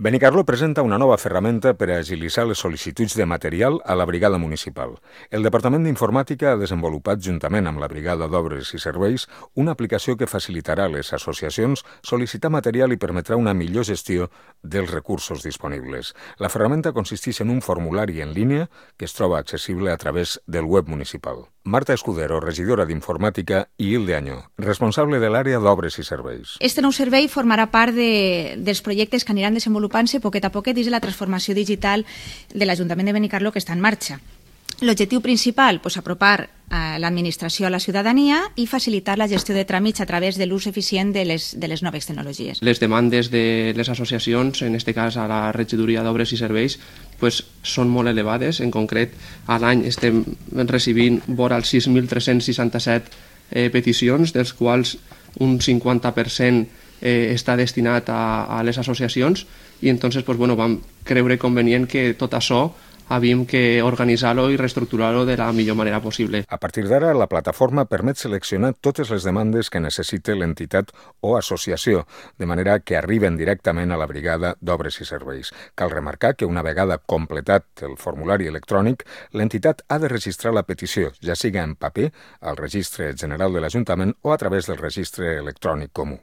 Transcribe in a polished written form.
Benicarló presenta una nova ferramenta per a agilitzar les sol·licituds de material a la brigada municipal. El Departament d'Informàtica ha desenvolupat, juntament amb la Brigada d'Obres i Serveis, una aplicació que facilitarà a les associacions sol·licitar material i permetrà una millor gestió dels recursos disponibles. La ferramenta consisteix en un formulari en línia que es troba accessible a través del web municipal. Marta Escudero, regidora d'Informàtica, i Hilde Añó, responsable de l'àrea d'Obres i Serveis. Este nou servei formarà part dels projectes que aniran desenvolupant-se poquet a poquet dins de la transformació digital de l'Ajuntament de Benicarló que està en marxa. L'objectiu principal, apropar l'administració a la ciutadania i facilitar la gestió de tràmits a través de l'ús eficient de les noves tecnologies. Les demandes de les associacions, en aquest cas a la regidoria d'Obres i Serveis, són molt elevades. En concret, a l'any estem recibint vora els 6.367 peticions, dels quals un 50% està destinat a les associacions i entonces vam creure convenient que tot això havíem que organitzar-lo i reestructurar-lo de la millor manera possible. A partir d'ara, la plataforma permet seleccionar totes les demandes que necessite l'entitat o associació, de manera que arriben directament a la brigada d'Obres i Serveis. Cal remarcar que una vegada completat el formulari electrònic, l'entitat ha de registrar la petició, ja siga en paper, al Registre General de l'Ajuntament o a través del Registre Electrònic Comú.